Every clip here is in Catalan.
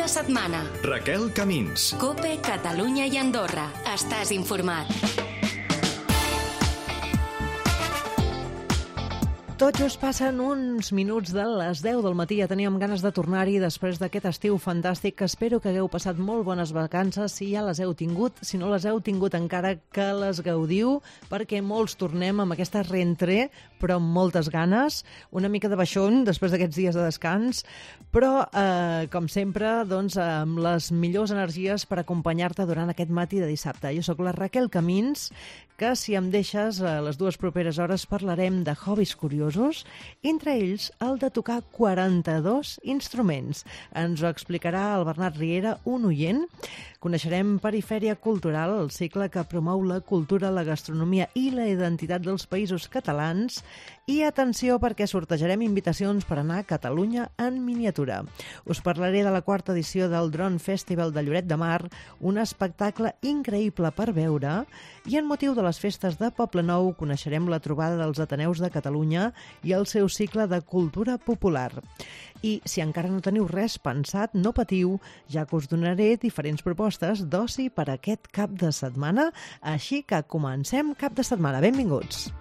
de setmana. Raquel Camins. COPE, Catalunya i Andorra. Estàs informat. Tot just passen uns minuts de les 10 del matí. Ja teníem ganes de tornar-hi després d'aquest estiu fantàstic, que espero que hagueu passat molt bones vacances, si ja les heu tingut. Si no les heu tingut encara, que les gaudiu, perquè molts tornem amb aquesta rentrée, però amb moltes ganes, una mica de baixón després d'aquests dies de descans, però, com sempre, doncs, amb les millors energies per acompanyar-te durant aquest matí de dissabte. Jo sóc la Raquel Camins, que, si em deixes, a les dues properes hores parlarem de hobbies curiosos, entre ells el de tocar 42 instruments. Ens ho explicarà el Bernat Riera, un oient. Coneixerem Perifèria Cultural, el cicle que promou la cultura, la gastronomia i la identitat dels països catalans. I atenció, perquè sortejarem invitacions per anar a Catalunya en miniatura. Us parlaré de la quarta edició del Drone Festival de Lloret de Mar, un espectacle increïble per veure, i en motiu de les festes de Poblenou coneixerem la trobada dels Ateneus de Catalunya i el seu cicle de cultura popular. I si encara no teniu res pensat, no patiu, ja que us donaré diferents propostes d'oci per aquest cap de setmana, així que comencem cap de setmana. Benvinguts!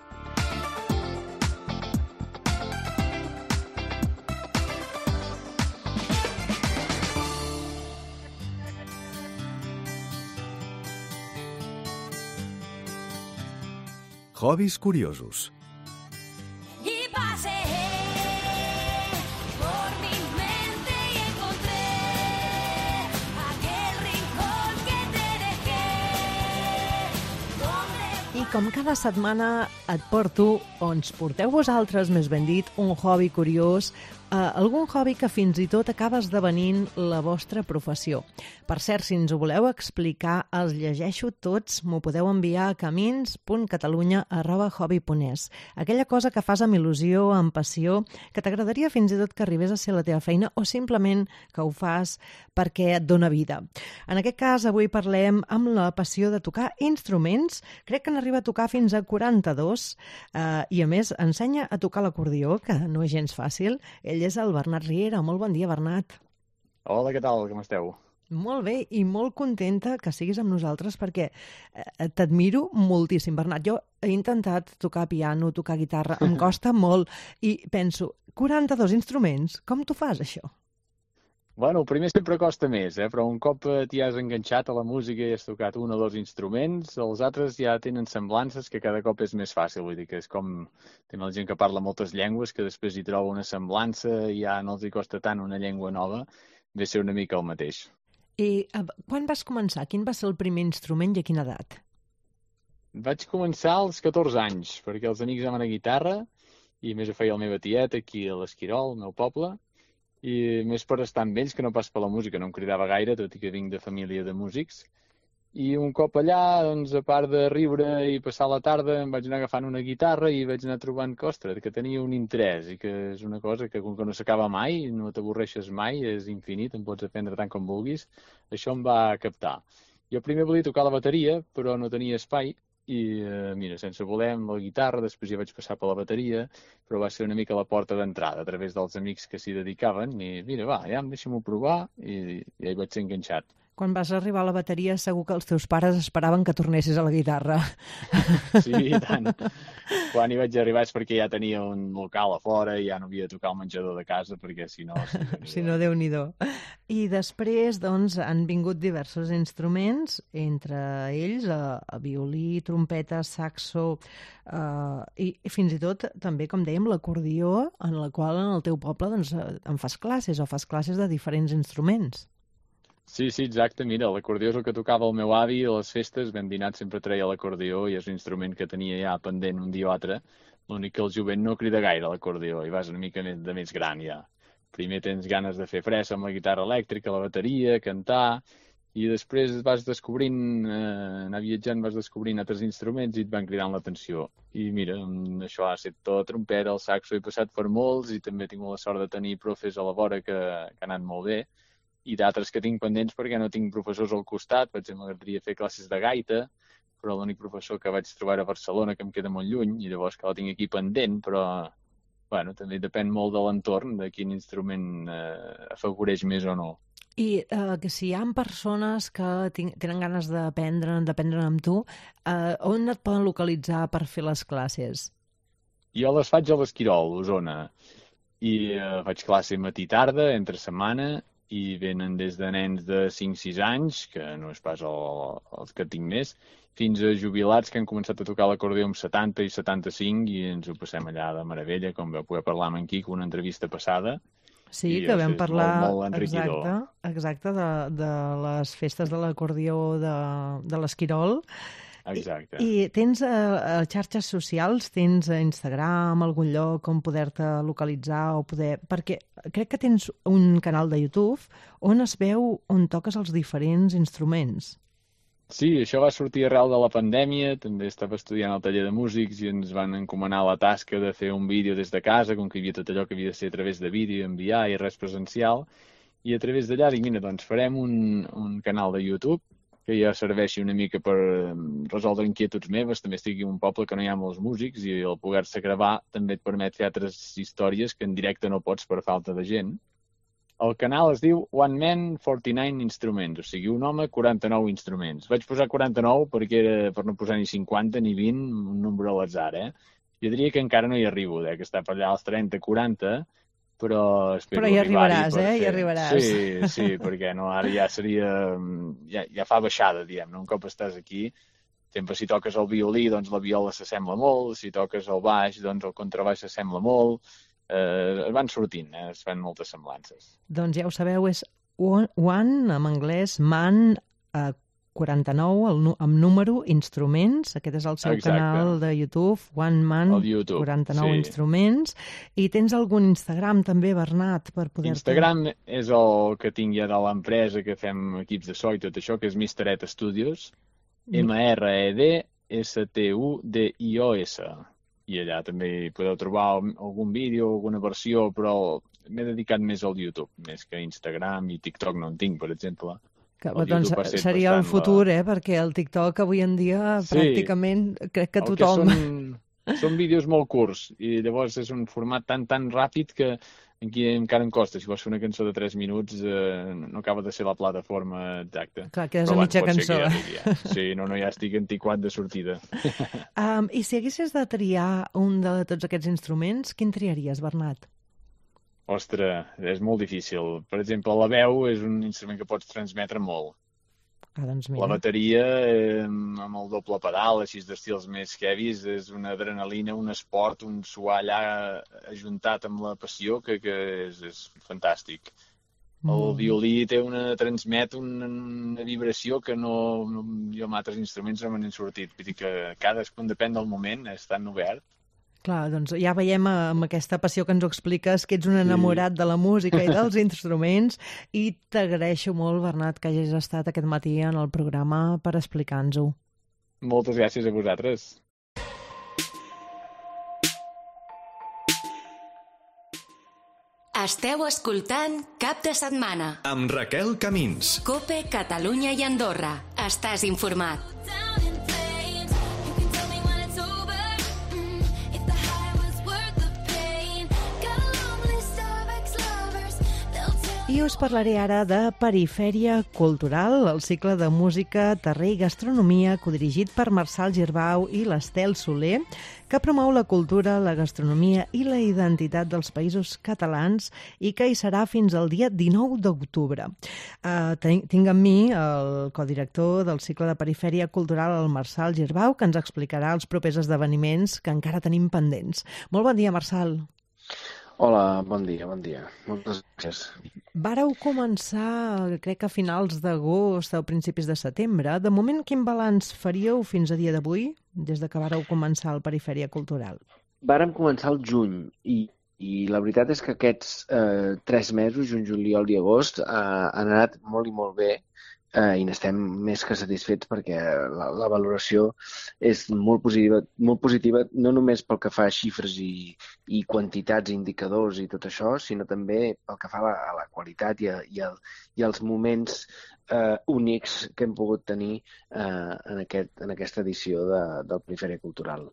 Hobbies curiosos. Y paseé por mi mente y encontré aquel rincón que te dejé. I com cada setmana et porto, o ens porteu vosaltres, més ben dit, un hobby curiós, algun hobby que fins i tot acaba esdevenint la vostra professió. Per cert, si ens ho voleu explicar, els llegeixo tots, m'ho podeu enviar a camins.catalunya@hobby.es. Aquella cosa que fas amb il·lusió, amb passió, que t'agradaria fins i tot que arribés a ser la teva feina, o simplement que ho fas perquè et dona vida. En aquest cas, avui parlem amb la passió de tocar instruments. Crec que n'arriba a tocar fins a 42, i a més ensenya a tocar l'acordió, que no és gens fàcil. Ell és el Bernat Riera. Molt bon dia, Bernat. Hola, què tal? Com esteu? Molt bé, i molt contenta que siguis amb nosaltres perquè t'admiro moltíssim, Bernat. Jo he intentat tocar piano, tocar guitarra, em costa molt, i penso, 42 instruments, com t'ho fas, això? Bueno, el primer sempre costa més, però un cop t'hi has enganxat a la música i has tocat un o dos instruments, els altres ja tenen semblances que cada cop és més fàcil. Vull dir que és com tenen la gent que parla moltes llengües, que després hi troba una semblança i ja no els hi costa tant una llengua nova, ve ser una mica el mateix. I quan vas començar? Quin va ser el primer instrument i a quina edat? Vaig començar als 14 anys, perquè els amics anaven a guitarra i més ho feia la meva tieta aquí a l'Esquirol, al meu poble, i més per estar amb ells que no pas per la música, no em cridava gaire, tot i que vinc de família de músics. I un cop allà, doncs, a part de riure i passar la tarda, em vaig anar agafant una guitarra i vaig anar trobant que, ostres, que tenia un interès i que és una cosa que, com que no s'acaba mai, no t'avorreixes mai, és infinit, en pots aprendre tant com vulguis, això em va captar. Jo primer volia tocar la bateria, però no tenia espai, i mira, sense voler amb la guitarra, després ja vaig passar per la bateria, però va ser una mica la porta d'entrada a través dels amics que s'hi dedicaven i mira, va, ja deixa'm-ho provar i ja hi vaig ser enganxat. Quan vas arribar a la bateria segur que els teus pares esperaven que tornessis a la guitarra. Sí, i tant. Quan hi vaig arribar és perquè ja tenia un local a fora i ja no havia de tocar el menjador de casa perquè si no... Si no, Déu-n'hi-do. I després, doncs, han vingut diversos instruments, entre ells violí, trompeta, saxo, i fins i tot també, com dèiem, l'acordió, en la qual en el teu poble doncs, en fas classes o fas classes de diferents instruments. Sí, exacte. Mira, l'acordió és el que tocava el meu avi a les festes. Ben dinat sempre treia l'acordió i és un instrument que tenia ja pendent un dia o altre. L'únic que el jovent no crida gaire l'acordió i vas una mica de més gran ja. Primer tens ganes de fer fressa amb la guitarra elèctrica, la bateria, cantar, i després vas descobrint, anar viatjant, vas descobrint altres instruments i et van cridant l'atenció. I mira, això ha estat tot la trompeta, el saxo, he passat per molts i també he tingut la sort de tenir profes a la vora que han anat molt bé, i d'altres que tinc pendents perquè no tinc professors al costat. Per exemple, m'agradaria fer classes de gaita, però l'únic professor que vaig trobar a Barcelona, que em queda molt lluny, i llavors que la tinc aquí pendent, però bueno, també depèn molt de l'entorn, de quin instrument afavoreix més o no. I que si hi ha persones que tenen ganes d'aprendre amb tu, on et poden localitzar per fer les classes? Jo les faig a l'Esquirol, Osona, i faig classe matí i tarda, entre setmana, i venen des de nens de 5-6 anys, que no és pas els que tinc més, fins a jubilats que han començat a tocar l'acordió amb 70 i 75 i ens ho passem allà de meravella, com vau poder parlar amb en Quico una entrevista passada. Sí, I que és vam parlar molt enriquidor. exacte de les festes de l'acordió de l'Esquirol. Exacte. I tens xarxes socials, tens Instagram, algun lloc on poder-te localitzar o poder... Perquè crec que tens un canal de YouTube on es veu on toques els diferents instruments. Sí, això va sortir arrel de la pandèmia, també estava estudiant al taller de músics i ens van encomanar la tasca de fer un vídeo des de casa, com que hi havia tot allò que havia de ser a través de vídeo, enviar i res presencial, i a través d'allà dic, mira, doncs farem un canal de YouTube que ja serveixi una mica per resoldre inquietuds meves, també estic en un poble que no hi ha molts músics i el poder-se gravar també et permet fer altres històries que en directe no pots per falta de gent. El canal es diu One Man 49 Instruments, o sigui, un home, 49 instruments. Vaig posar 49 perquè era per no posar ni 50 ni 20, un número a l'atzar, Jo diria que encara no hi arribo, que està per allà als 30-40, però espero però hi arribaràs, arribar-hi hi arribaràs. Sí, perquè no, ara ja seria... Ja fa baixada, diguem-ne. Un cop estàs aquí, sempre si toques el violí, doncs la viola s'assembla molt, si toques el baix, doncs el contrabaix s'assembla molt. Es van sortint, es fan moltes semblances. Doncs ja ho sabeu, és One, en anglès, Man 49, amb número, instruments. Aquest és el seu canal de YouTube, One Man 49 Instruments. I tens algun Instagram també, Bernat, per poder-te... Instagram és el que tinc ja de l'empresa, que fem equips de so i tot això, que és Mr. Ed Studios, MRED STUDIOS. I allà també hi podeu trobar algun vídeo, alguna versió, però m'he dedicat més al YouTube, més que a Instagram i TikTok no en tinc, per exemple. Doncs seria el futur, perquè el TikTok avui en dia pràcticament crec que tothom... Són vídeos molt curts i llavors és un format tan ràpid que aquí encara em costa. Si vols fer una cançó de 3 minuts no acaba de ser la plataforma exacta. Clar, quedes a mitja cançó. Sí, no, ja estic antiquat de sortida. I si haguessis de triar un de tots aquests instruments, quin triaries, Bernat? Ostres, és molt difícil. Per exemple, la veu és un instrument que pots transmetre molt. Doncs mira. La bateria, amb el doble pedal, així d'estils més heavies, és una adrenalina, un esport, un suar allà ajuntat amb la passió que és fantàstic. El violí transmet una vibració que jo amb altres instruments no me n'he sortit. Vull dir que cadascun depèn del moment, és tan obert. Clar, doncs ja veiem amb aquesta passió que ens ho expliques que ets un enamorat de la música i dels instruments i t'agraeixo molt, Bernat, que hagis estat aquest matí en el programa per explicar-nos-ho. Moltes gràcies a vosaltres. Esteu escoltant Cap de Setmana amb Raquel Camins. COPE, Catalunya i Andorra. Estàs informat. I us parlaré ara de Perifèria Cultural, el cicle de música, terrer i gastronomia codirigit per Marçal Girbau i l'Estel Soler, que promou la cultura, la gastronomia i la identitat dels països catalans i que hi serà fins al dia 19 d'octubre. Tinc amb mi el codirector del cicle de Perifèria Cultural, el Marçal Girbau, que ens explicarà els propers esdeveniments que encara tenim pendents. Molt bon dia, Marçal. Hola, bon dia. Moltes gràcies. Vàreu començar, crec que a finals d'agost o principis de setembre. De moment, quin balanç faríeu fins a dia d'avui, des de que vàreu començar el Perifèria Cultural? Vàrem començar el juny i la veritat és que aquests 3 mesos, juny, juliol i agost, han anat molt i molt bé i n'estem més que satisfets perquè la valoració és molt positiva, no només pel que fa a xifres i quantitats, indicadors i tot això, sinó també pel que fa a la qualitat i als moments únics que hem pogut tenir en aquesta edició del Perifèria Cultural.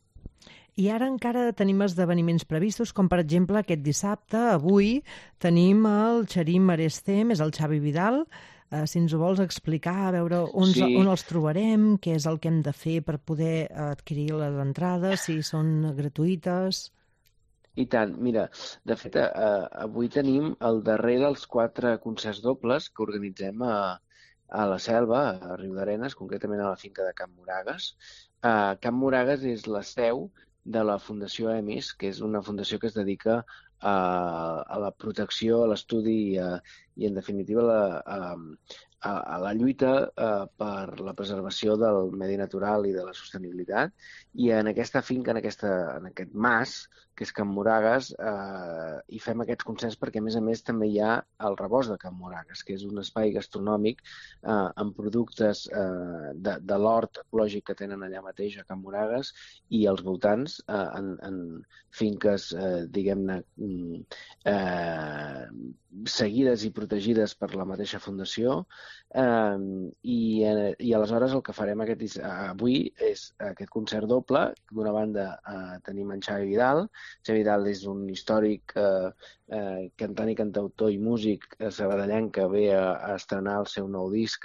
I ara encara tenim esdeveniments previstos, com per exemple aquest dissabte, avui, tenim el Xarim Arestem, és el Xavi Vidal. Si ens ho vols explicar, a veure on els trobarem, què és el que hem de fer per poder adquirir les entrades, si són gratuïtes... I tant, mira, de fet, avui tenim el darrer dels 4 concerts dobles que organitzem a la Selva, a Riudarenes, concretament a la finca de Can Moragues. Can Moragues és la seu de la Fundació EMIS, que és una fundació que es dedica a la protecció, a l'estudi i en definitiva, a la lluita per la preservació del medi natural i de la sostenibilitat. I en aquesta finca, en aquest mas, que és Can Moragues, hi fem aquests concerts perquè, a més, també hi ha el Rebost de Can Moragues, que és un espai gastronòmic amb productes de l'hort ecològic que tenen allà mateix a Can Moragues i als voltants, en finques, diguem-ne, seguides i protegides per la mateixa fundació, i aleshores el que farem avui és aquest concert doble. D'una banda tenim en Xavi Vidal. Xavi Vidal és un històric cantant i cantautor i músic sabadellenc que ve a estrenar el seu nou disc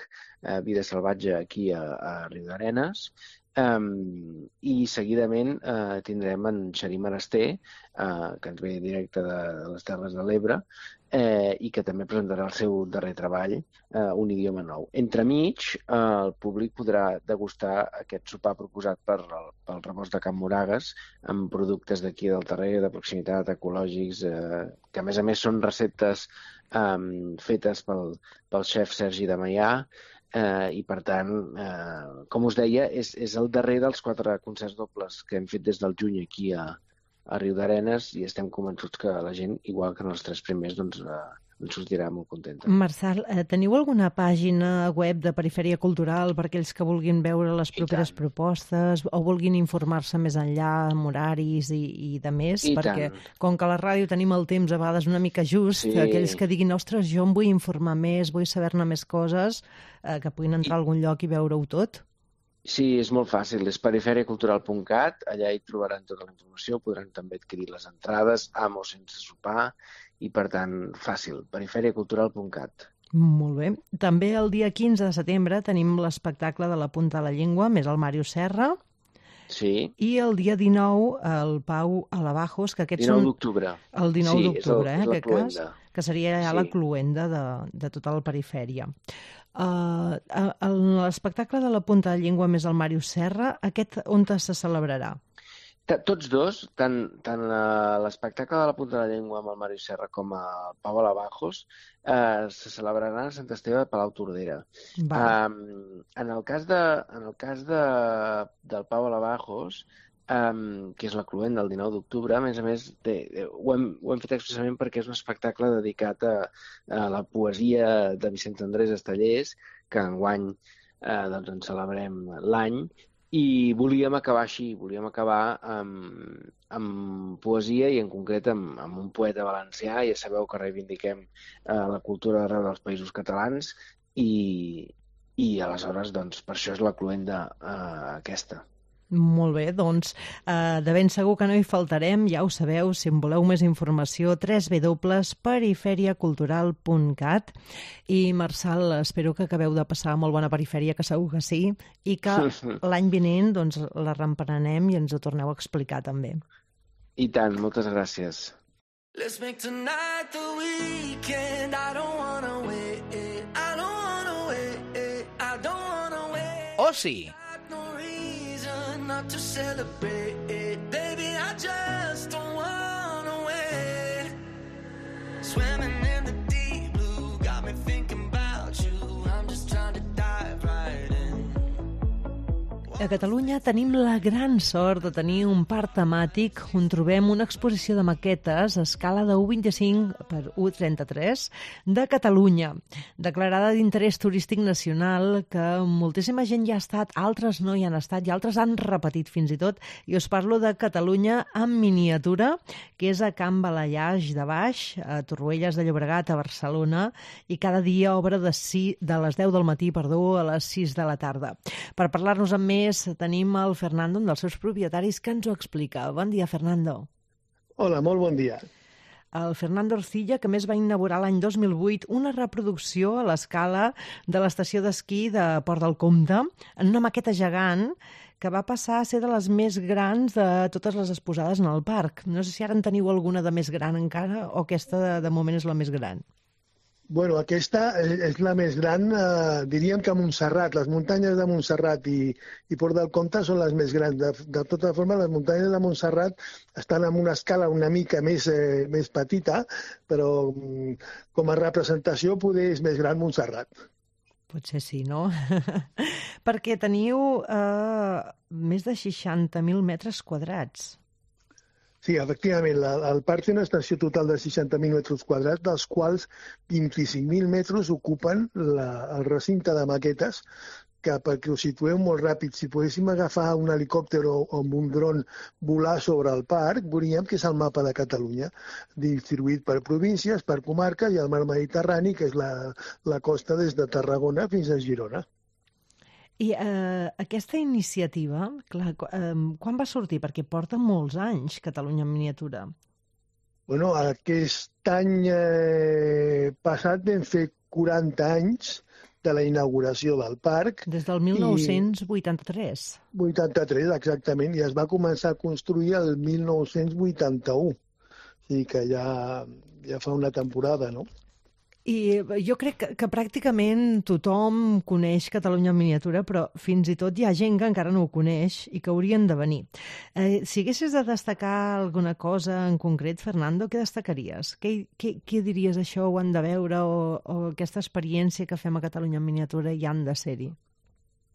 Vida Salvatge aquí a Riudarenes. I seguidament tindrem en Xarim Aresté, que ens ve directe de les Terres de l'Ebre, i que també presentarà el seu darrer treball, Un idioma nou. Entremig, el públic podrà degustar aquest sopar proposat pel Rebost de Can Moragues amb productes d'aquí del terrer, de proximitat, ecològics, que a més són receptes fetes pel xef Sergi de Maià, i per tant, com us deia, és el darrer dels 4 concerts dobles que hem fet des del juny aquí a Riudarenes i estem convençuts que la gent, igual que en els 3 primers, doncs en sortirà molt contenta. Marçal, teniu alguna pàgina web de Perifèria Cultural per aquells que vulguin veure les properes propostes o vulguin informar-se més enllà amb horaris i de més? Perquè com que a la ràdio tenim el temps a vegades una mica just, aquells que diguin, ostres, jo em vull informar més, vull saber-ne més coses, que puguin entrar a algun lloc i veure-ho tot? Sí, és molt fàcil, és periferiacultural.cat, allà hi trobaran tota la informació, podran també adquirir les entrades, amb o sense sopar, i per tant, fàcil, periferiacultural.cat. Molt bé. També el dia 15 de setembre tenim l'espectacle de la Punta de la Llengua, més el Màrius Serra. Sí. I el dia 19, el Pau Alabajos, que aquests 19 d'octubre. El 19 d'octubre, és en aquest cas, que seria ja la cluenda de tota la perifèria. L'espectacle de la Punta de la Llengua més el Màrius Serra, aquest on se celebrarà? Tots dos, tant l'espectacle de la Punta de la Llengua amb el Màrius Serra com el Pau Alabajos, se celebraran a Sant Esteve de Palau-Tordera. En el cas del Pau Alabajos, que és la cluenda del 19 d'octubre, a més, ho hem fet expressament perquè és un espectacle dedicat a la poesia de Vicent Andrés Estellés, que enguany en celebrem l'any, i volíem acabar així, volíem acabar amb poesia i en concret amb un poeta valencià. Ja sabeu que reivindiquem la cultura d'arreu dels Països Catalans i aleshores per això és la cluenda aquesta. Molt bé, doncs de ben segur que no hi faltarem, ja ho sabeu, si en voleu més informació, www.periferiacultural.cat. I Marçal, espero que acabeu de passar molt bona perifèria, que segur que sí, i que l'any vinent la reemprenem i ens ho torneu a explicar també. I tant, moltes gràcies. Let's make tonight the weekend. I don't wanna wait. I don't wanna wait. I don't wanna wait. Oci. Not to celebrate, baby, I just don't wanna wait. Swimming in the deep blue, got me thinking about you. I'm just trying to dive right in. A Catalunya tenim la gran sort de tenir un parc temàtic on trobem una exposició de maquetes a escala de 1,25 per 1,33 de Catalunya, declarada d'interès turístic nacional, que moltíssima gent ja ha estat, altres no hi han estat i altres han repetit fins i tot. I us parlo de Catalunya en miniatura, que és a Can Balallaix de Baix, a Torroelles de Llobregat, a Barcelona, i cada dia obre de les 10 del matí, a les 6 de la tarda. Per parlar-nos amb més més tenim el Fernando, un dels seus propietaris, que ens ho explica. Bon dia, Fernando. Hola, molt bon dia. El Fernando Orcilla, que més va inaugurar l'any 2008 una reproducció a l'escala de l'estació d'esquí de Port del Comte, en una maqueta gegant que va passar a ser de les més grans de totes les exposades en el parc. No sé si ara en teniu alguna de més gran encara o aquesta de moment és la més gran. Bueno, aquesta és la més gran, diríem que a Montserrat. Les muntanyes de Montserrat i Port del Comte són les més grans. De tota forma, les muntanyes de Montserrat estan en una escala una mica més petita, però com a representació poder és més gran Montserrat. Potser sí, no? Perquè teniu més de 60.000 metres quadrats. Sí, efectivament, el parc té una extensió total de 60.000 metres quadrats, dels quals 25.000 metres ocupen el recinte de maquetes, que perquè ho situeu molt ràpid, si poguéssim agafar un helicòpter o amb un dron volar sobre el parc, veuríem que és el mapa de Catalunya, distribuït per províncies, per comarques i el mar Mediterrani, que és la costa des de Tarragona fins a Girona. I aquesta iniciativa, clar, quan va sortir? Perquè porta molts anys Catalunya en miniatura. Bueno, aquest any passat vam fer 40 anys de la inauguració del parc. Des del 1983. 83, exactament, i es va començar a construir el 1981. O sigui que ja fa una temporada, no? I jo crec que pràcticament tothom coneix Catalunya en miniatura, però fins i tot hi ha gent que encara no ho coneix i que haurien de venir. Si haguessis de destacar alguna cosa en concret, Fernando, què destacaries? Què diries això ho han de veure o aquesta experiència que fem a Catalunya en miniatura hi han de ser-hi?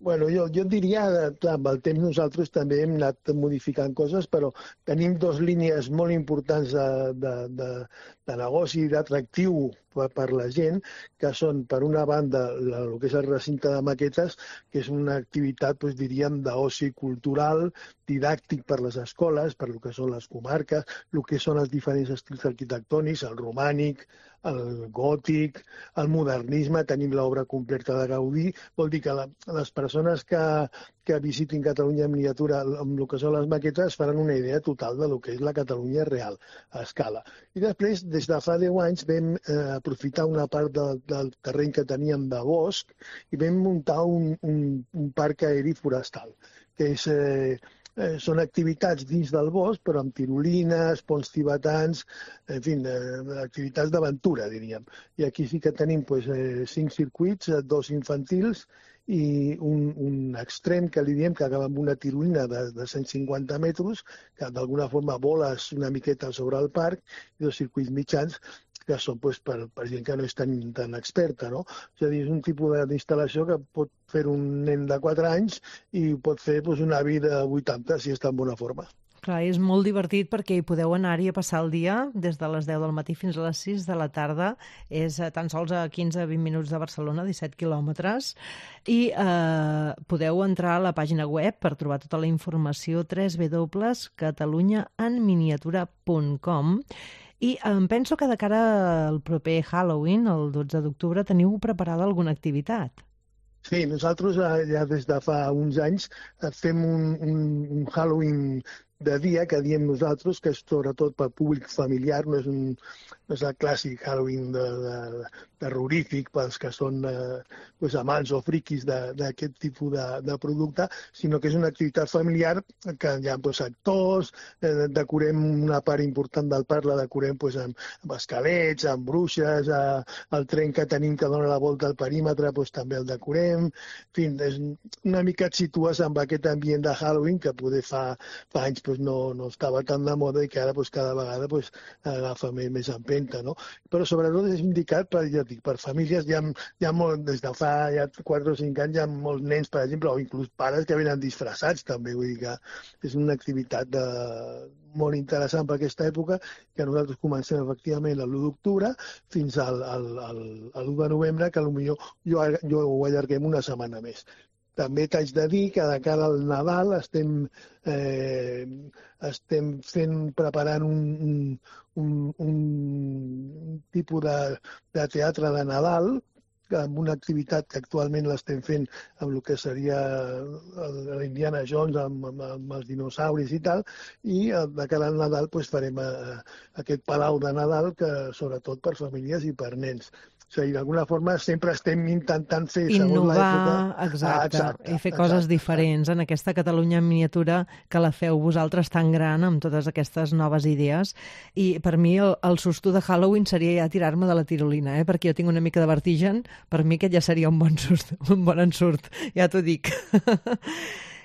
Bueno, jo diria, clar, amb el temps nosaltres també hem anat modificant coses, però tenim dues línies molt importants de negoci i d'atractiu per la gent, que són, per una banda, el que és el recinte de maquetes, que és una activitat, doncs, diríem, d'oci cultural, didàctic per les escoles, per el que són les comarques, el que són els diferents estils arquitectònics, el romànic, el gòtic, el modernisme, tenim l'obra completa de Gaudí. Vol dir que les persones que visitin Catalunya en miniatura amb el que són les maquetes faran una idea total de lo que és la Catalunya real, a escala. I després, des de fa 10 anys, vam aprofitar una part del terreny que teníem de bosc i vam muntar un parc aeri forestal, que és... són activitats dins del bosc, però amb tirolines, ponts tibetans, en fi, activitats d'aventura, diríem. I aquí sí que tenim 5 circuits, 2 infantils i un extrem que li diem que acaba amb una tirolina de 150 metres, que d'alguna forma voles una miqueta sobre el parc, i 2 circuits mitjans que són per gent que no és tan experta, no? És a dir, és un tipus d'instal·lació que pot fer un nen de 4 anys i pot fer una vida de 80 si està en bona forma. Clar, és molt divertit perquè hi podeu anar-hi a passar el dia des de les 10 del matí fins a les 6 de la tarda. És tan sols a 15-20 minuts de Barcelona, 17 quilòmetres. I podeu entrar a la pàgina web per trobar tota la informació www.catalunyaenminiatura.com. I em penso que de cara al proper Halloween, el 12 d'octubre, teniu preparada alguna activitat. Sí, nosaltres ja des de fa uns anys fem un Halloween de dia, que diem nosaltres, que és sobretot per públic familiar, no és el clàssic Halloween terrorífic pels que són amants o friquis d'aquest tipus de producte, sinó que és una activitat familiar que hi ha actors, decorem una part important del parc, la decorem amb esquelets, amb bruixes, el tren que tenim que dona la volta al perímetre també el decorem, en fi, una mica et situes amb aquest ambient de Halloween que poder fa anys no estava tan de moda i que ara cada vegada agafa més empenta, no? Però sobretot és indicat per famílies, des de fa 4 o 5 anys hi ha molts nens, per exemple, o inclús pares que venen disfressats també, vull dir que és una activitat molt interessant per aquesta època, que nosaltres comencem efectivament l'1 d'octubre fins al 1 de novembre, que potser jo ho allarguem una setmana més. També t'haig de dir que de cara al Nadal estem preparant un tipus de teatre de Nadal amb una activitat que actualment l'estem fent amb el que seria l'Indiana Jones, amb els dinosauris i tal, i de cara al Nadal farem aquest palau de Nadal, que sobretot per famílies i per nens. O sigui, d'alguna forma sempre estem intentant fer segons l'època... Exacte, i fer coses diferents en aquesta Catalunya en miniatura que la feu vosaltres tan gran amb totes aquestes noves idees. I per mi el susto de Halloween seria ja tirar-me de la tirolina, perquè jo tinc una mica de vertigen, per mi aquest ja seria un bon ensurt, ja t'ho dic.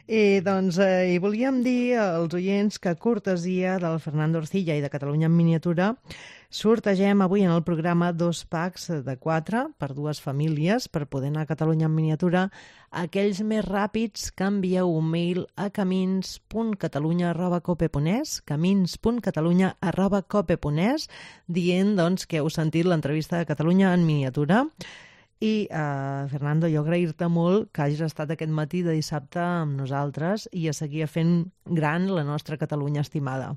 I doncs hi volíem dir als oients que cortesia del Fernando Orcilla i de Catalunya en miniatura sortegem avui en el programa 2 packs de 4 per 2 famílies per poder anar a Catalunya en miniatura. Aquells més ràpids que envieu un mail a camins.catalunya@cope.es, camins.catalunya@cope.es, dient doncs, que heu sentit l'entrevista de Catalunya en miniatura. I, Fernando, jo agrair-te molt que hagis estat aquest matí de dissabte amb nosaltres i a seguir fent gran la nostra Catalunya estimada.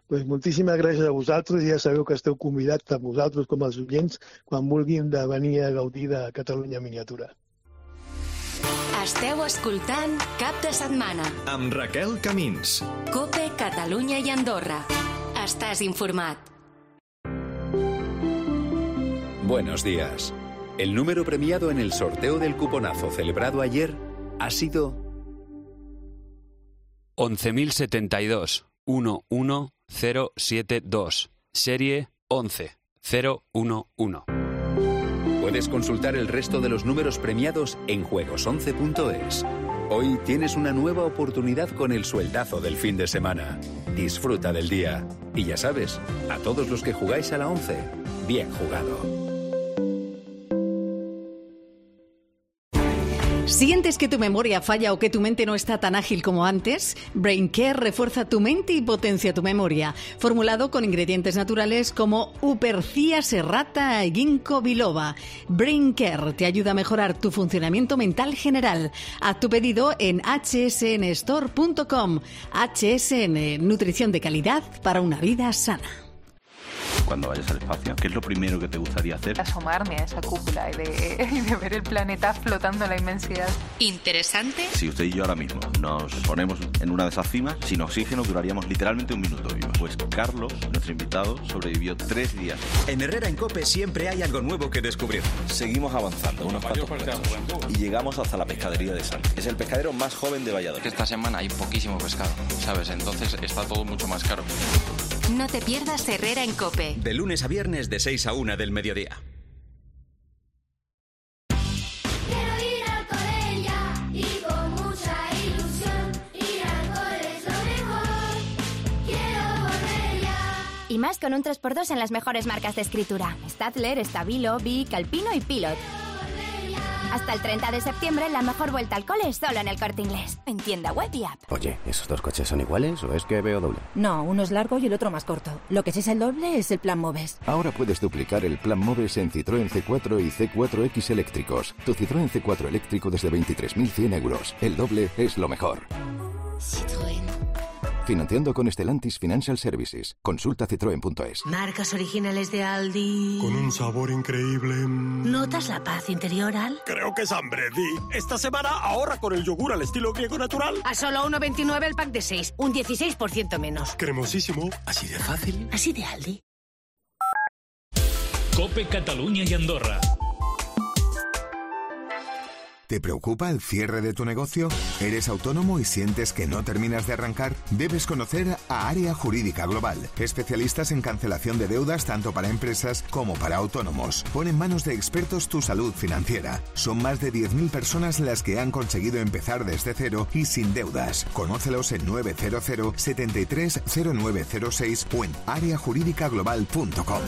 Pues moltíssimes gràcies a vosaltres, ja sabeu que esteu convidats tant vosaltres com els oients quan vulguin de venir a gaudir de Catalunya Miniatura. Esteu escoltant Cap de Setmana Amb Raquel Camins. Cope, Catalunya i Andorra. Estàs informat. Buenos días. El número premiado en el sorteo del cuponazo celebrado ayer ha sido 11.072 11072, serie 11011. Puedes consultar el resto de los números premiados en juegos11.es. Hoy tienes una nueva oportunidad con el sueldazo del fin de semana. Disfruta del día. Y ya sabes, a todos los que jugáis a la 11, bien jugado. ¿Sientes que tu memoria falla o que tu mente no está tan ágil como antes? BrainCare refuerza tu mente y potencia tu memoria. Formulado con ingredientes naturales como Upercia serrata e ginkgo biloba. BrainCare te ayuda a mejorar tu funcionamiento mental general. Haz tu pedido en hsnstore.com. HSN, nutrición de calidad para una vida sana. Cuando vayas al espacio, ¿qué es lo primero que te gustaría hacer? Asomarme a esa cúpula y de ver el planeta flotando en la inmensidad. ¿Interesante? Si usted y yo ahora mismo nos ponemos en una de esas cimas, sin oxígeno duraríamos literalmente un minuto vivo. Pues Carlos, nuestro invitado, sobrevivió 3 días. En Herrera en COPE siempre hay algo nuevo que descubrir. Seguimos avanzando unos cuantos metros y llegamos hasta la pescadería de Santi. Es el pescadero más joven de Valladolid. Esta semana hay poquísimo pescado, ¿sabes? Entonces está todo mucho más caro. No te pierdas Herrera en COPE. De lunes a viernes de 6 a 1 del mediodía. Quiero ir al cole ya y con mucha ilusión. Ir al cole es lo mejor. Quiero volver ya. Y más con un 3x2 en las mejores marcas de escritura. Stadler, Stabilo, Bic, Alpino y Pilot. Hasta el 30 de septiembre, la mejor vuelta al cole es solo en el Corte Inglés. En tienda web y app. Oye, ¿esos dos coches son iguales o es que veo doble? No, uno es largo y el otro más corto. Lo que sí es el doble es el Plan Moves. Ahora puedes duplicar el Plan Moves en Citroën C4 y C4X eléctricos. Tu Citroën C4 eléctrico desde 23.100 euros. El doble es lo mejor. Citroën. Financiando con Stellantis Financial Services. Consulta citroen.es. Marcas originales de Aldi. Con un sabor increíble. ¿Notas la paz interior, Al? Creo que es hambre, Di. Esta semana ahorra con el yogur al estilo griego natural. A solo 1,29 el pack de 6. Un 16% menos. Cremosísimo. Así de fácil. Así de Aldi. Cope Catalunya y Andorra. ¿Te preocupa el cierre de tu negocio? ¿Eres autónomo y sientes que no terminas de arrancar? Debes conocer a Área Jurídica Global, especialistas en cancelación de deudas tanto para empresas como para autónomos. Pon en manos de expertos tu salud financiera. Son más de 10.000 personas las que han conseguido empezar desde cero y sin deudas. Conócelos en 900 73 0906 o en areajuridicaglobal.com.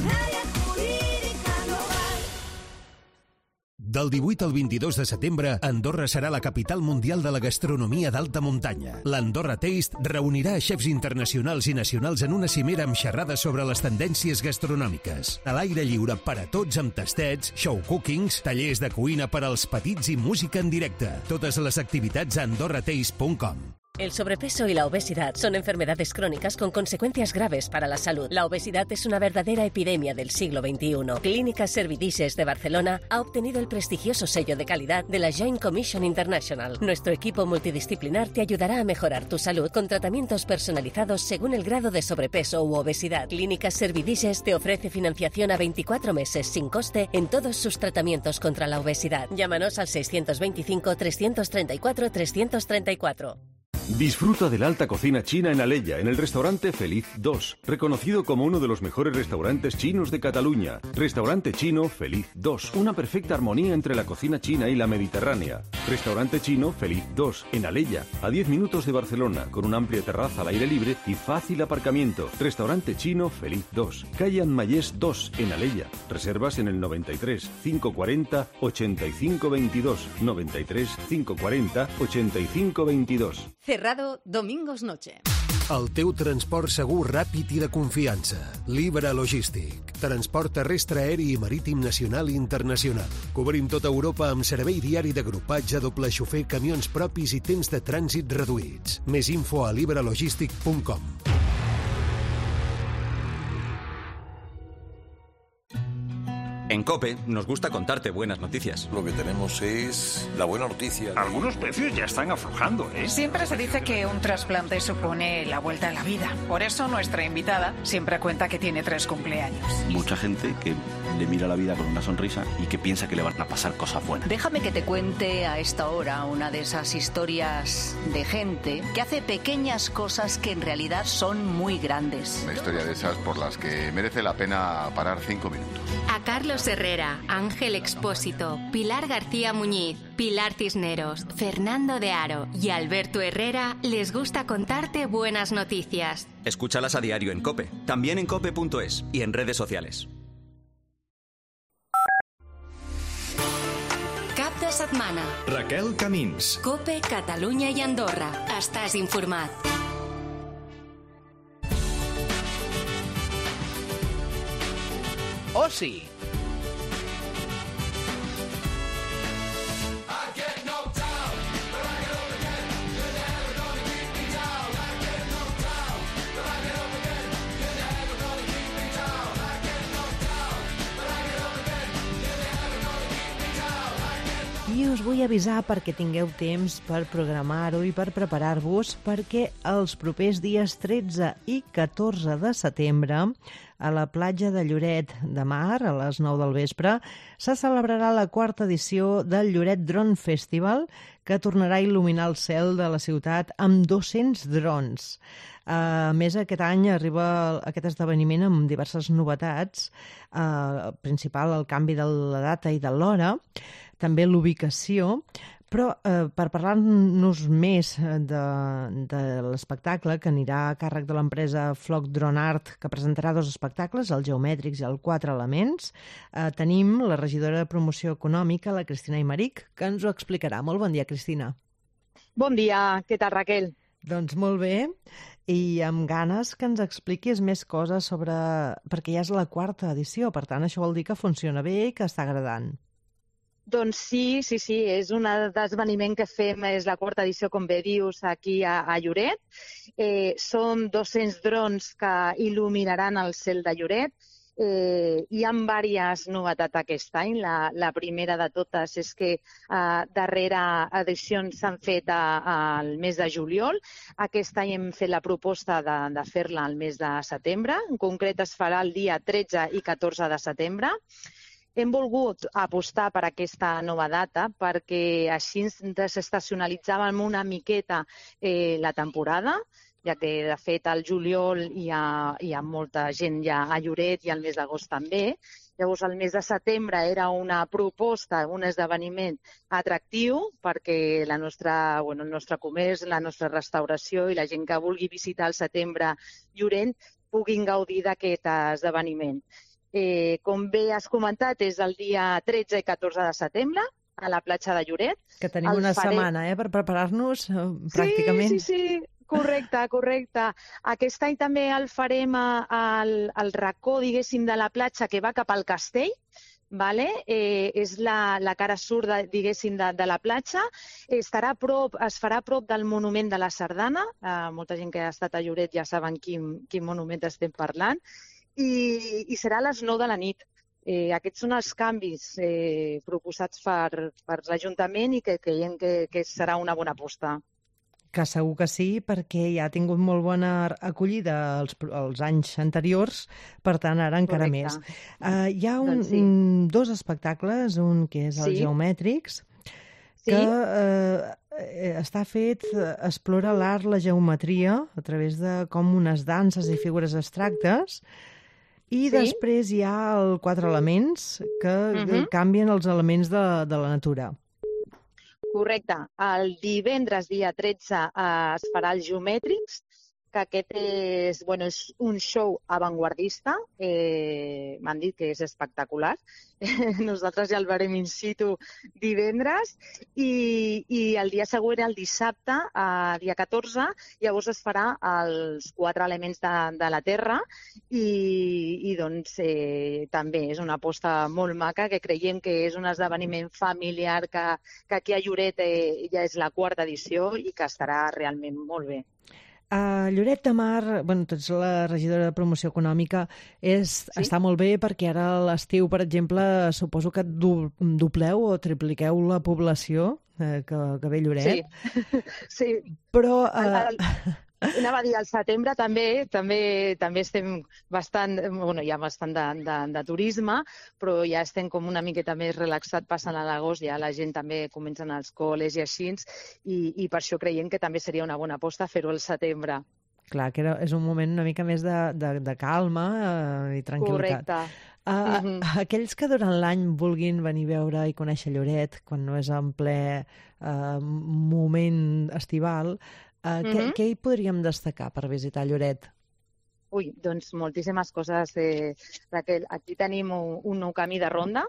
Del 18 al 22 de setembre, Andorra serà la capital mundial de la gastronomia d'alta muntanya. L'Andorra Taste reunirà a xefs internacionals i nacionals en una cimera amb xerrades sobre les tendències gastronòmiques. A l'aire lliure per a tots amb tastets, show cookings, tallers de cuina per als petits i música en directe. Totes les activitats a andorrataste.com. El sobrepeso y la obesidad son enfermedades crónicas con consecuencias graves para la salud. La obesidad es una verdadera epidemia del siglo XXI. Clínica Servidices de Barcelona ha obtenido el prestigioso sello de calidad de la Joint Commission International. Nuestro equipo multidisciplinar te ayudará a mejorar tu salud con tratamientos personalizados según el grado de sobrepeso u obesidad. Clínica Servidices te ofrece financiación a 24 meses sin coste en todos sus tratamientos contra la obesidad. Llámanos al 625 334 334. Disfruta de la alta cocina china en Alella, en el restaurante Feliz 2, reconocido como uno de los mejores restaurantes chinos de Cataluña. Restaurante chino Feliz 2, una perfecta armonía entre la cocina china y la mediterránea. Restaurante chino Feliz 2, en Alella, a 10 minutos de Barcelona, con una amplia terraza al aire libre y fácil aparcamiento. Restaurante chino Feliz 2, calle Anmayés 2, en Alella. Reservas en el 93 540 85 22, 93 540 85 22. Cerrado domingos noche. El teu transport segur, ràpid i de confiança. Libre Logístic. Transport terrestre, aeri i marítim nacional i internacional. Cobrim tota Europa amb servei diari d'agrupatge, doble xofer, camions propis i temps de trànsit reduïts. Més info a librelogistic.com. En COPE nos gusta contarte buenas noticias. Lo que tenemos es la buena noticia. Algunos precios ya están aflojando, ¿eh? Siempre se dice que un trasplante supone la vuelta a la vida. Por eso nuestra invitada siempre cuenta que tiene 3 cumpleaños. Mucha gente que le mira la vida con una sonrisa y que piensa que le van a pasar cosas buenas. Déjame que te cuente a esta hora una de esas historias de gente que hace pequeñas cosas que en realidad son muy grandes. Una historia de esas por las que merece la pena parar 5 minutos. A Carlos Herrera, Ángel Expósito, Pilar García Muñiz, Pilar Cisneros, Fernando de Aro y Alberto Herrera les gusta contarte buenas noticias. Escúchalas a diario en COPE, también en cope.es y en redes sociales. Cap de setmana. Raquel Camins. COPE, Catalunya i Andorra. Estàs informat. Oci. I us vull avisar perquè tingueu temps per programar-ho i per preparar-vos, perquè els propers dies 13 i 14 de setembre a la platja de Lloret de Mar, a les 9 del vespre, se celebrarà la 4ª edició del Lloret Drone Festival, que tornarà a il·luminar el cel de la ciutat amb 200 drons. A més, aquest any arriba aquest esdeveniment amb diverses novetats, principal el canvi de la data i de l'hora, també l'ubicació, però per parlar-nos més de l'espectacle, que anirà a càrrec de l'empresa Flock Drone Art, que presentarà 2 espectacles, el Geomètrics i el 4 Elements, tenim la regidora de Promoció Econòmica, la Cristina Aymeric, que ens ho explicarà. Molt bon dia, Cristina. Bon dia, què tal, Raquel? Doncs molt bé, i amb ganes que ens expliquis més coses sobre... perquè ja és la 4ª edició, per tant, això vol dir que funciona bé i que està agradant. Doncs sí, és un esdeveniment que fem, és la 4ª edició, com bé dius, aquí a Lloret. Són 200 drons que il·luminaran el cel de Lloret. Hi ha diverses novetats aquest any. La primera de totes és que darrere edicions s'han fet al mes de juliol. Aquest any hem fet la proposta de fer-la al mes de setembre. En concret es farà el dia 13 i 14 de setembre. Hem volgut apostar per aquesta nova data perquè així desestacionalitzàvem una miqueta la temporada, ja que, de fet, al juliol hi ha molta gent ja a Lloret i al mes d'agost també. Llavors, el mes de setembre era una proposta, un esdeveniment atractiu perquè el nostre comerç, la nostra restauració i la gent que vulgui visitar al setembre Lloret puguin gaudir d'aquest esdeveniment. Com bé has comentat, és el dia 13 i 14 de setembre a la platja de Lloret. Que tenim una setmana per preparar-nos, pràcticament. Sí, correcte. Aquest any també el farem al racó, diguéssim, de la platja que va cap al castell, és la cara sud, diguéssim, de la platja. Es farà a prop del monument de la Sardana. Molta gent que ha estat a Lloret ja saben quin monument estem parlant. I serà a les 9 de la nit. Aquests són els canvis proposats per l'Ajuntament i que creiem que serà una bona aposta. Que segur que sí, perquè ja ha tingut molt bona acollida els anys anteriors, per tant, ara encara més. Hi ha dos espectacles, un que és el Geomètrics, que està fet, explora l'art, la geometria, a través de com unes danses i figures abstractes, i després hi ha el 4 elements, que canvien els elements de la natura. Correcte. El divendres, dia 13, es farà el Geomètrics, que aquest és un show avantguardista. M'han dit que és espectacular. Nosaltres ja el veurem in situ divendres. I el dia següent, el dissabte, dia 14, llavors es farà els 4 elements de la Terra i doncs també és una aposta molt maca que creiem que és un esdeveniment familiar que aquí a Lloret ja és la 4ª edició i que estarà realment molt bé. A Lloret de Mar, tu ets la regidora de Promoció Econòmica, està molt bé perquè ara a l'estiu, per exemple, suposo que dobleu o tripliqueu la població que ve a Lloret. Sí. Però... Anava a dir, al setembre també estem bastant, hi ha bastant de turisme, però ja estem com una miqueta més relaxat passant a l'agost, ja la gent també comença als col·les i així, i per això creiem que també seria una bona aposta fer-ho al setembre. Clar, que és un moment una mica més de calma i tranquil·litat. Correcte. Aquells que durant l'any vulguin venir a veure i conèixer Lloret, quan no és en ple moment estival, què hi podríem destacar per visitar Lloret? Doncs moltíssimes coses, Raquel. Aquí tenim un nou camí de ronda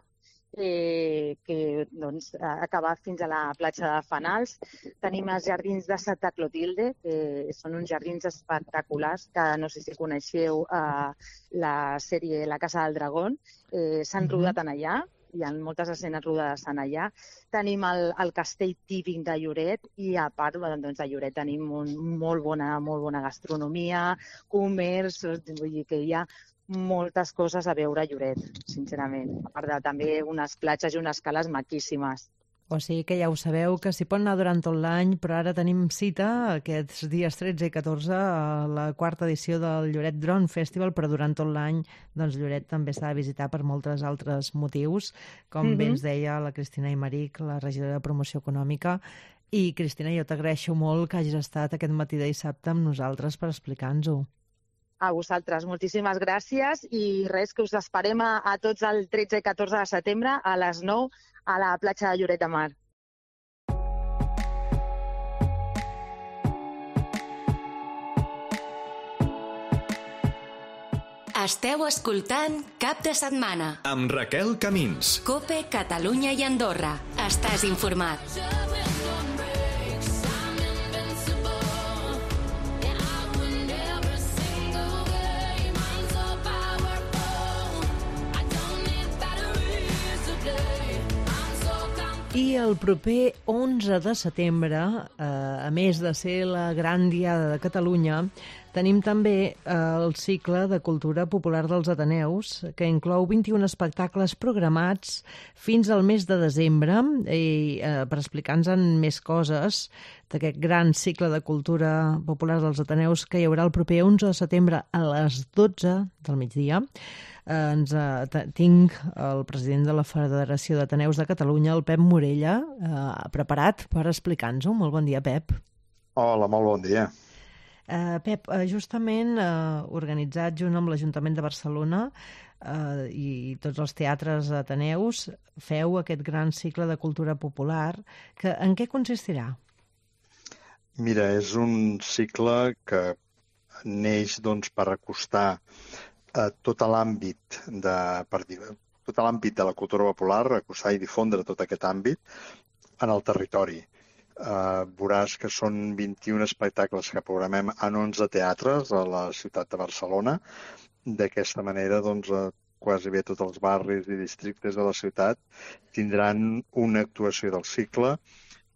que acaba fins a la platja de Fanals. Tenim els jardins de Santa Clotilde, que són uns jardins espectaculars, que no sé si coneixeu la sèrie La Casa del Dragón. S'han rodat en allà. Hi ha moltes escenes rodades en allà. Tenim el castell típic de Lloret i, a part, a Lloret tenim molt bona gastronomia, comerç, vull dir que hi ha moltes coses a veure a Lloret, sincerament. A part de també unes platges i unes cales maquíssimes. O sigui que ja ho sabeu, que s'hi pot anar durant tot l'any, però ara tenim cita aquests dies 13 i 14 a la 4ª edició del Lloret Drone Festival, però durant tot l'any Lloret també s'ha de visitar per molts altres motius, com bé ens deia la Cristina Aymeric, la regidora de Promoció Econòmica. I, Cristina, jo t'agraeixo molt que hagis estat aquest matí de dissabte amb nosaltres per explicar-nos-ho. A vosaltres, moltíssimes gràcies i res, que us esperem a tots el 13 i 14 de setembre a les 9 a la platja de Lloret de Mar. Esteu escoltant Cap de Setmana amb Raquel Camins. COPE, Catalunya i Andorra. Estàs informat. I el proper 11 de setembre, a més de ser la Gran Diada de Catalunya, tenim també el cicle de cultura popular dels Ateneus, que inclou 21 espectacles programats fins al mes de desembre. I per explicar-nos més coses d'aquest gran cicle de cultura popular dels Ateneus que hi haurà el proper 11 de setembre a les 12 del migdia, tinc el president de la Federació d'Ateneus de Catalunya, el Pep Morella, preparat per explicar-nos-ho. Molt bon dia, Pep. Hola, molt bon dia. Pep, justament organitzat junt amb l'Ajuntament de Barcelona i tots els teatres ateneus, feu aquest gran cicle de cultura popular. En què consistirà? Mira, és un cicle que neix per acostar tot l'àmbit de la cultura popular, acostar i difondre tot aquest àmbit en el territori. Veuràs que són 21 espectacles que programem en 11 teatres a la ciutat de Barcelona. D'aquesta manera quasi bé tots els barris i districtes de la ciutat tindran una actuació del cicle,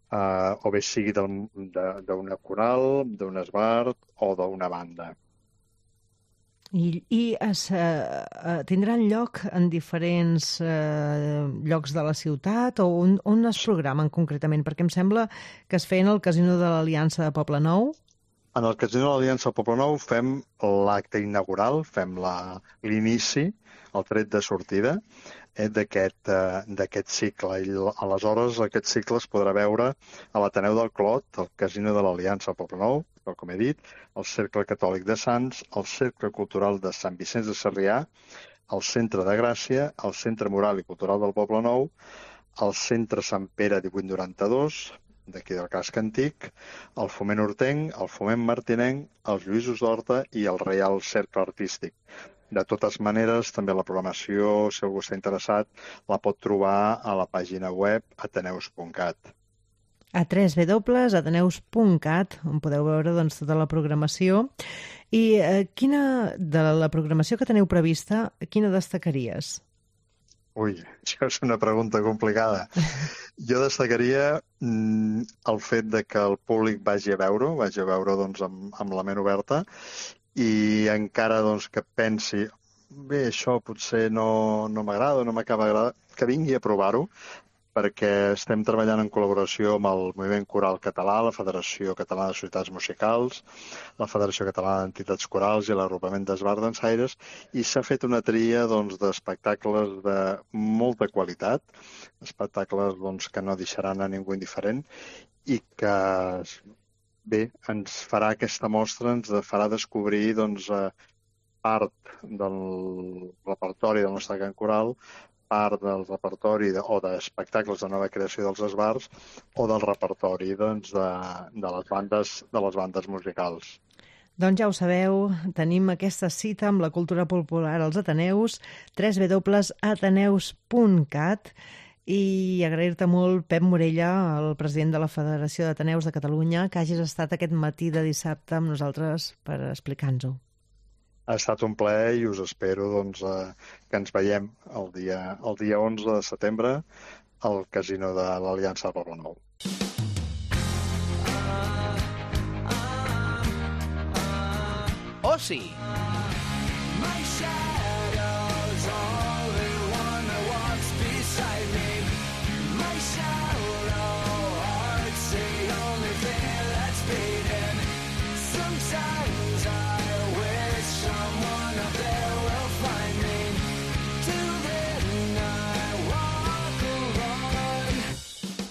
o bé sigui d'una coral, d'un esbart o d'una banda. I tindran lloc en diferents llocs de la ciutat o on es programen concretament? Perquè em sembla que es feien al Casino de l'Aliança de Poblenou. En el Casino de l'Aliança de Poblenou fem l'acte inaugural, fem l'inici, el tret de sortida d'aquest cicle. I aleshores aquest cicle es podrà veure a l'Ateneu del Clot, al Casino de l'Aliança de Poblenou, com he dit, el Cercle Catòlic de Sants, el Cercle Cultural de Sant Vicenç de Sarrià, el Centre de Gràcia, el Centre Moral i Cultural del Poblenou, el Centre Sant Pere 1892, d'aquí del casc antic, el Foment Hortenc, el Foment Martinenc, els Lluïsos d'Horta i el Reial Cercle Artístic. De totes maneres, també la programació, si algú està interessat, la pot trobar a la pàgina web ateneus.cat. A www.ateneus.cat, on podeu veure tota la programació. I de la programació que teniu prevista, quina destacaries? Ui, això és una pregunta complicada. Jo destacaria el fet de que el públic vagi a veure amb la ment oberta i encara que pensi bé, això potser no m'agrada o no m'acaba d'agradar, que vingui a provar-ho, perquè estem treballant en col·laboració amb el Moviment Coral Català, la Federació Catalana de Societats Musicals, la Federació Catalana d'Entitats Corals i l'Agrupament d'Esbart Dansaires, i s'ha fet una tria d'espectacles de molta qualitat, espectacles que no deixaran a ningú indiferent i que, bé, ens farà aquesta mostra, ens farà descobrir part del repertori del nostre cant coral, part del repertori o d'espectacles de nova creació dels esbarts o del repertori de les bandes musicals. Doncs ja ho sabeu, tenim aquesta cita amb la cultura popular als Ateneus, www.ateneus.cat, i agrair-te molt, Pep Morella, el president de la Federació d'Ateneus de Catalunya, que hagis estat aquest matí de dissabte amb nosaltres per explicar-nos-ho. Ha estat un plaer i us espero que ens veiem el dia 11 de setembre al Casino de l'Aliança de Poblenou. Oci.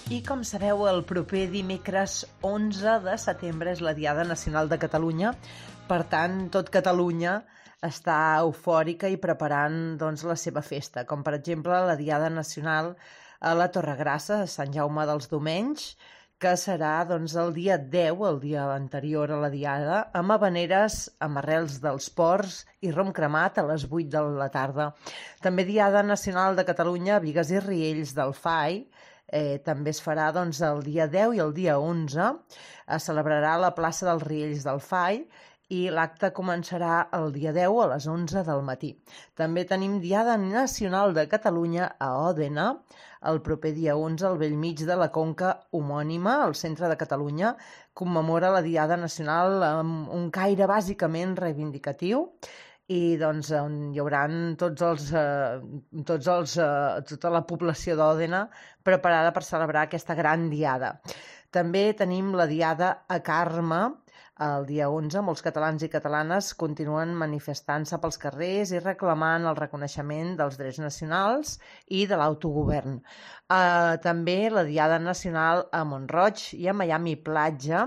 I com sabeu, el proper dimecres 11 de setembre és la Diada Nacional de Catalunya. Per tant, tot Catalunya està eufòrica i preparant la seva festa, com per exemple la Diada Nacional a la Torregrassa, a Sant Jaume dels Domenys, que serà el dia 10, el dia anterior a la Diada, amb havaneres amb arrels dels ports i rom cremat a les 8 de la tarda. També Diada Nacional de Catalunya a Bigues i Riells del FAI, també es farà el dia 10 i el dia 11, es celebrarà a la plaça dels Riells del FAI i l'acte començarà el dia 10 a les 11 del matí. També tenim Diada Nacional de Catalunya a Òdena, el proper dia 11 al bell mig de la conca homònima, al centre de Catalunya, commemora la Diada Nacional amb un caire bàsicament reivindicatiu, i on hi haurà tota la població d'Òdena preparada per celebrar aquesta gran diada. També tenim la Diada a Carme, el dia 11. Molts catalans i catalanes continuen manifestant-se pels carrers i reclamant el reconeixement dels drets nacionals i de l'autogovern. També la Diada Nacional a Mont-roig i a Miami Platja,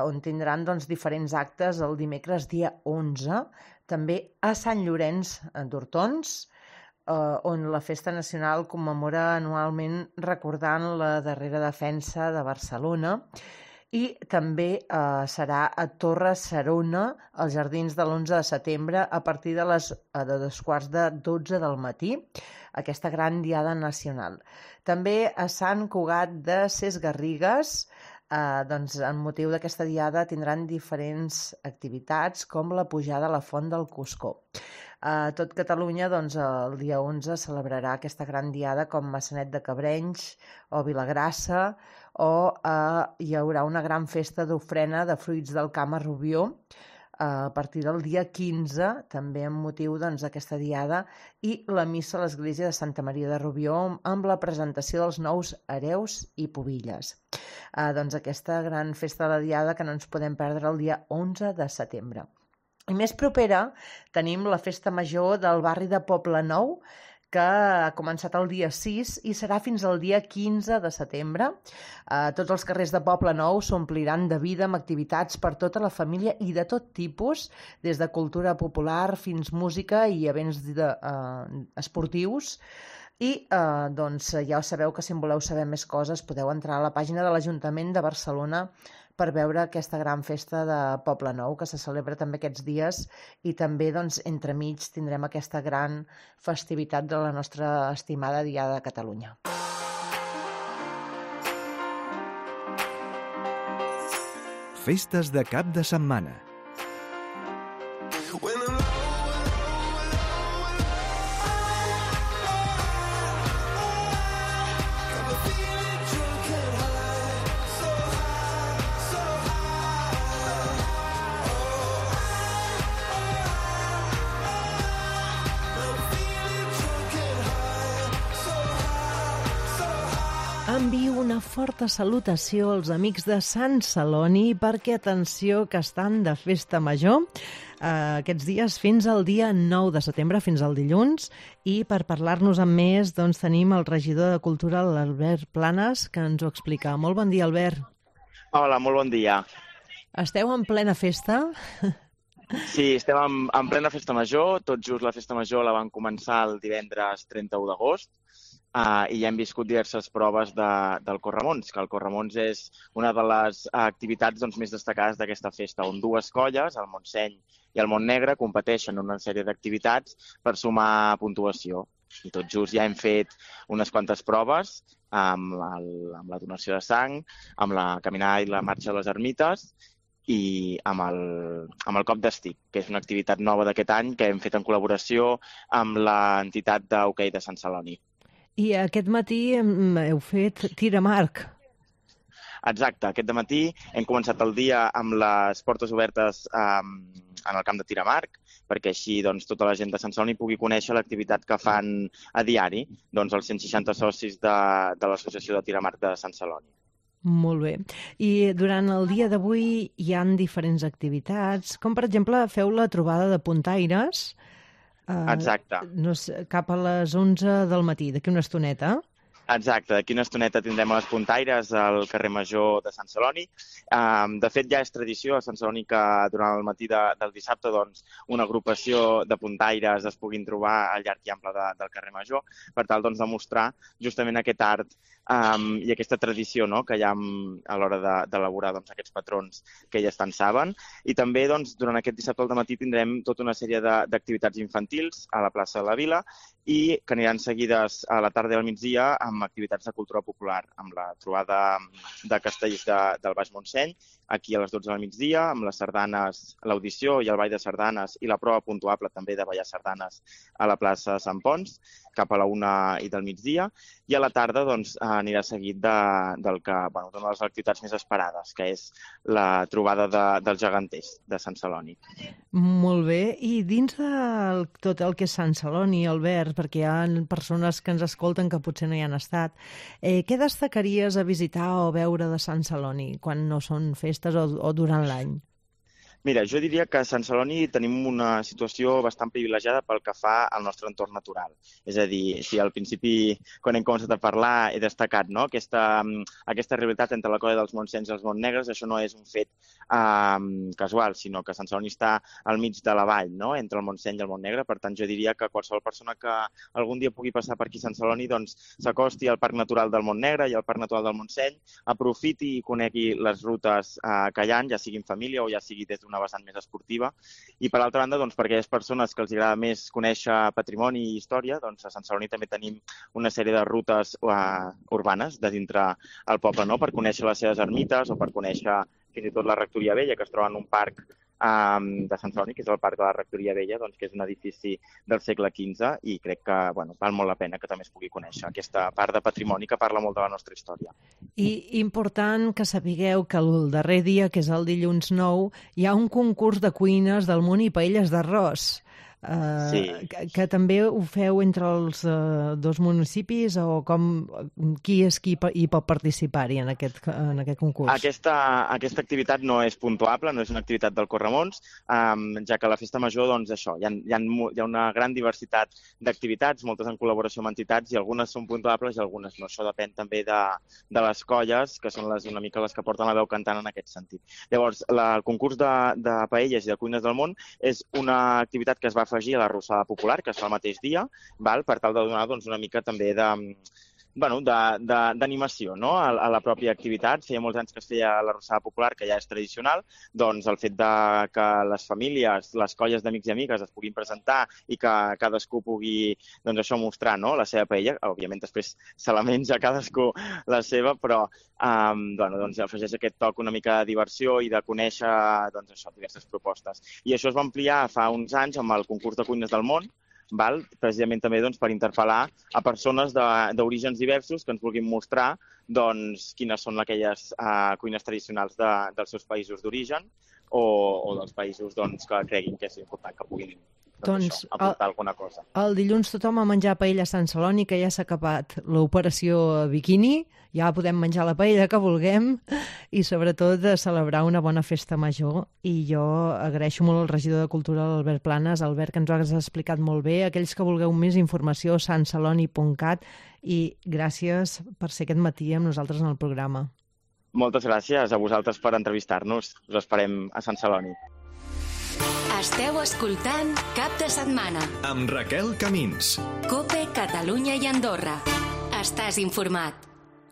on tindran diferents actes el dimecres dia 11, també a Sant Llorenç d'Hortons, on la Festa Nacional commemora anualment recordant la darrera defensa de Barcelona, i també serà a Torre Serona, als Jardins de l'11 de setembre, a partir de 2:15 del matí, aquesta gran diada nacional. També a Sant Cugat de Sesgarrigues, en motiu d'aquesta diada tindran diferents activitats com la pujada a la Font del Cuscó. A tot Catalunya, doncs, el dia 11 celebrarà aquesta gran diada com Maçanet de Cabrenys o Vilagrassa, o hi haurà una gran festa d'ofrena de fruits del camp a Rubió a partir del dia 15, també amb motiu d'aquesta diada, i la missa a l'església de Santa Maria de Rubió amb la presentació dels nous hereus i pubilles. Doncs aquesta gran festa de la diada que no ens podem perdre el dia 11 de setembre. I més propera tenim la festa major del barri de Poblenou, que ha començat el dia 6 i serà fins al dia 15 de setembre. Tots els carrers de Poblenou s'ompliran de vida amb activitats per tota la família i de tot tipus, des de cultura popular fins música i events esportius. I ja sabeu que si en voleu saber més coses podeu entrar a la pàgina de l'Ajuntament de Barcelona per veure aquesta gran festa de Poblenou que se celebra també aquests dies, i també entremig tindrem aquesta gran festivitat de la nostra estimada Diada de Catalunya. Festes de cap de setmana. Envio una forta salutació als amics de Sant Celoni perquè, atenció, que estan de festa major aquests dies fins al dia 9 de setembre, fins al dilluns, i per parlar-nos amb més tenim el regidor de Cultura, l'Albert Planes, que ens ho explica. Molt bon dia, Albert. Hola, molt bon dia. Esteu en plena festa? Sí, estem en plena festa major. Tot just la festa major la van començar el divendres 31 d'agost. I ja hem viscut diverses proves del Corremons, que el Corremons és una de les activitats més destacades d'aquesta festa, on dues colles, el Montseny i el Montnegre, competeixen en una sèrie d'activitats per sumar puntuació. I tot just ja hem fet unes quantes proves amb la donació de sang, amb la caminada i la marxa de les ermites, i amb el cop d'estic, que és una activitat nova d'aquest any que hem fet en col·laboració amb l'entitat d'hoquei de Sant Celoni. I aquest matí heu fet tir amb arc. Exacte, aquest matí hem començat el dia amb les portes obertes en el camp de tir amb arc, perquè així tota la gent de Sant Celoni pugui conèixer l'activitat que fan a diari els 160 socis de l'Associació de Tir amb Arc de Sant Celoni. Molt bé. I durant el dia d'avui hi ha diferents activitats, com per exemple feu la trobada de puntaires. Exacte. Cap a les 11 del matí, d'aquí una estoneta. Exacte, d'aquí una estoneta tindrem les puntaires al carrer Major de Sant Celoni. De fet, ja és tradició a Sant Celoni que durant el matí del dissabte una agrupació de puntaires es puguin trobar al llarg i ample del carrer Major, per tal de mostrar justament aquest art i aquesta tradició que hi ha a l'hora d'elaborar aquests patrons que ja tant saben. I també durant aquest dissabte al matí tindrem tota una sèrie d'activitats infantils a la plaça de la Vila i que aniran seguides a la tarda i al migdia amb activitats de cultura popular, amb la trobada de castells del Baix Montseny, aquí a les 12 del migdia, amb les sardanes, l'audició i el ball de sardanes i la prova puntuable també de ballar sardanes a la plaça de Sant Pons, cap a la 1 i del migdia, i a la tarda anirà seguit d'una de les activitats més esperades, que és la trobada dels geganters de Sant Celoni. Molt bé. I dins de tot el que és Sant Celoni, Albert, perquè hi ha persones que ens escolten que potser no hi han estat, què destacaries a visitar o veure de Sant Celoni quan no són festes o durant l'any? Mira, jo diria que a Sant Celoni tenim una situació bastant privilegiada pel que fa al nostre entorn natural. És a dir, si al principi, quan hem començat a parlar, he destacat aquesta rivalitat entre la colla dels Montsenys i els Montnegres, això no és un fet casual, sinó que Sant Celoni està al mig de la vall, entre el Montseny i el Montnegre. Per tant, jo diria que qualsevol persona que algun dia pugui passar per aquí a Sant Celoni s'acosti al Parc Natural del Montnegre i al Parc Natural del Montseny, aprofiti i conegui les rutes que hi ha, ja sigui en família o ja sigui des d'una vessant més esportiva. I per altra banda, per aquelles persones que els agrada més conèixer patrimoni i història, a Sant Celoni també tenim una sèrie de rutes urbanes de dintre el poble, per conèixer les seves ermites o per conèixer fins i tot la Rectoria Vella, que es troba en un parc de Sant Celoni, que és el Parc de la Rectoria Vella, doncs, que és un edifici del segle XV i crec que val molt la pena que també es pugui conèixer aquesta part de patrimoni que parla molt de la nostra història. I important que sapigueu que el darrer dia, que és el dilluns 9, hi ha un concurs de cuines del món i paelles d'arròs. Que també ho feu entre els dos municipis o qui és qui hi pot participar-hi en aquest concurs? Aquesta activitat no és puntuable, no és una activitat del Corremons, ja que a la Festa Major doncs això, hi ha una gran diversitat d'activitats, moltes en col·laboració amb entitats i algunes són puntuables i algunes no. Això depèn també de les colles, que són una mica les que porten la veu cantant en aquest sentit. Llavors, el concurs de paelles i de cuines del món és una activitat que es va afegir a l'arrossada popular, que es fa el mateix dia, per tal de donar una mica també d'animació a la pròpia activitat. Feia molts anys que es feia l'arrossada popular, que ja és tradicional, doncs el fet que les famílies, les colles d'amics i amigues es puguin presentar i que cadascú pugui mostrar la seva paella, òbviament després se la menja cadascú la seva, però afegeix aquest toc una mica de diversió i de conèixer diverses propostes. I això es va ampliar fa uns anys amb el concurs de cuines del món, precisament també per interpel·lar a persones d'orígens diversos que ens vulguin mostrar quines són aquelles cuines tradicionals dels seus països d'origen o dels països que creguin que és important que puguin aportar alguna cosa. El dilluns tothom a menjar paella a Sant Celoni, que ja s'ha acabat l'operació Bikini, ja podem menjar la paella que vulguem i sobretot de celebrar una bona festa major. I jo agraeixo molt al regidor de Cultura, l'Albert Planes. Albert, que ens ho has explicat molt bé. Aquells que vulgueu més informació, santceloni.cat, i gràcies per ser aquest matí amb nosaltres en el programa. Moltes gràcies a vosaltres per entrevistar-nos. Us esperem a Sant Celoni. Esteu escoltant Cap de Setmana amb Raquel Camins. COPE, Catalunya i Andorra. Estàs informat.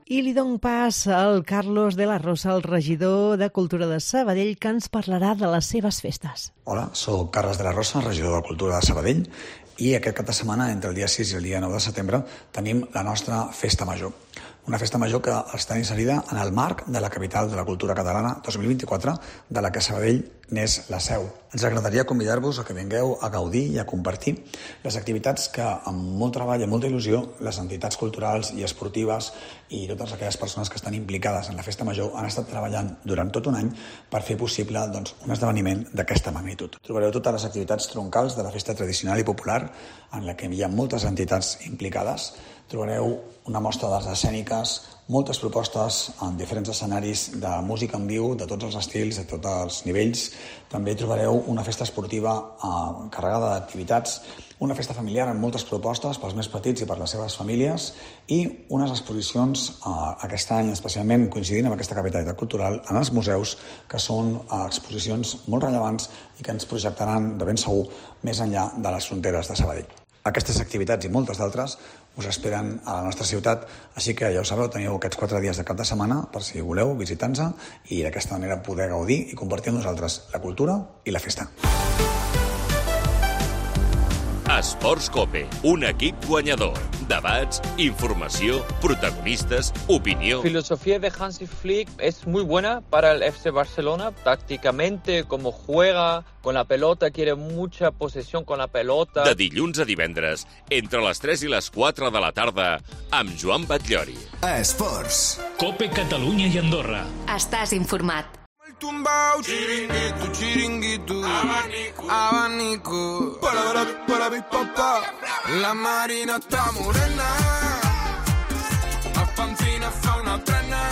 I li dono pas al Carlos de la Rosa, el regidor de Cultura de Sabadell, que ens parlarà de les seves festes. Hola, soc Carles de la Rosa, regidor de Cultura de Sabadell, i aquest cap de setmana, entre el dia 6 i el dia 9 de setembre, tenim la nostra Festa Major. Una festa major que està inserida en el marc de la Capital de la Cultura Catalana 2024, de la que Sabadell n'és la seu. Ens agradaria convidar-vos a que vingueu a gaudir i a compartir les activitats que, amb molt treball i molta il·lusió, les entitats culturals i esportives i totes aquelles persones que estan implicades en la festa major han estat treballant durant tot un any per fer possible un esdeveniment d'aquesta magnitud. Trobareu totes les activitats troncals de la festa tradicional i popular, en la que hi ha moltes entitats implicades. Trobareu una mostra d'arts escèniques, moltes propostes en diferents escenaris de música en viu, de tots els estils, de tots els nivells. També trobareu una festa esportiva carregada d'activitats, una festa familiar amb moltes propostes pels més petits i per les seves famílies i unes exposicions aquest any, especialment coincidint amb aquesta capitalitat cultural, en els museus, que són exposicions molt rellevants i que ens projectaran de ben segur més enllà de les fronteres de Sabadell. Aquestes activitats i moltes d'altres us esperen a la nostra ciutat, així que ja ho sabeu, teniu aquests 4 dies de cap de setmana per si voleu visitar-nos i d'aquesta manera poder gaudir i compartir amb nosaltres la cultura i la festa. Esports COPE, un equip guanyador. Debats, informació, protagonistas, opinió. La filosofía de Hansi Flick es muy buena para el FC Barcelona. Tácticamente, como juega con la pelota, quiere mucha posesión con la pelota. De dilluns a divendres, entre les 3 i les 4 de la tarda, amb Joan Batllori. Esports. COPE, Catalunya i Andorra. Estàs informat. Tumbao, chiringuito, chiringuito, abanico, para mi papá, la marina está morena, la pancina fa una trena.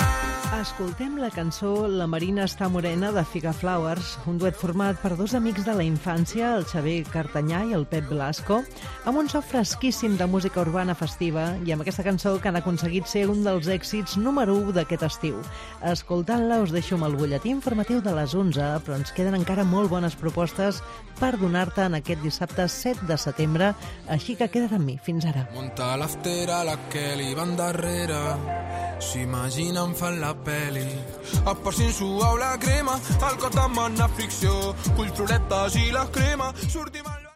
Escoltem la cançó La Marina està morena de Figa Flowers, un duet format per dos amics de la infància, el Xavier Cartanyà i el Pep Blasco, amb un so fresquíssim de música urbana festiva i amb aquesta cançó que han aconseguit ser un dels èxits número 1 d'aquest estiu. Escoltant-la us deixo amb el butlletí informatiu de les 11, però ens queden encara molt bones propostes per donar-te en aquest dissabte 7 de setembre, així que queda't amb mi. Fins ara. Munta l'aftera, la que li van darrere, s'imaginen fan la peli, esparcint suau la crema, el cot amb una ficció, culturetes i la crema, sortim a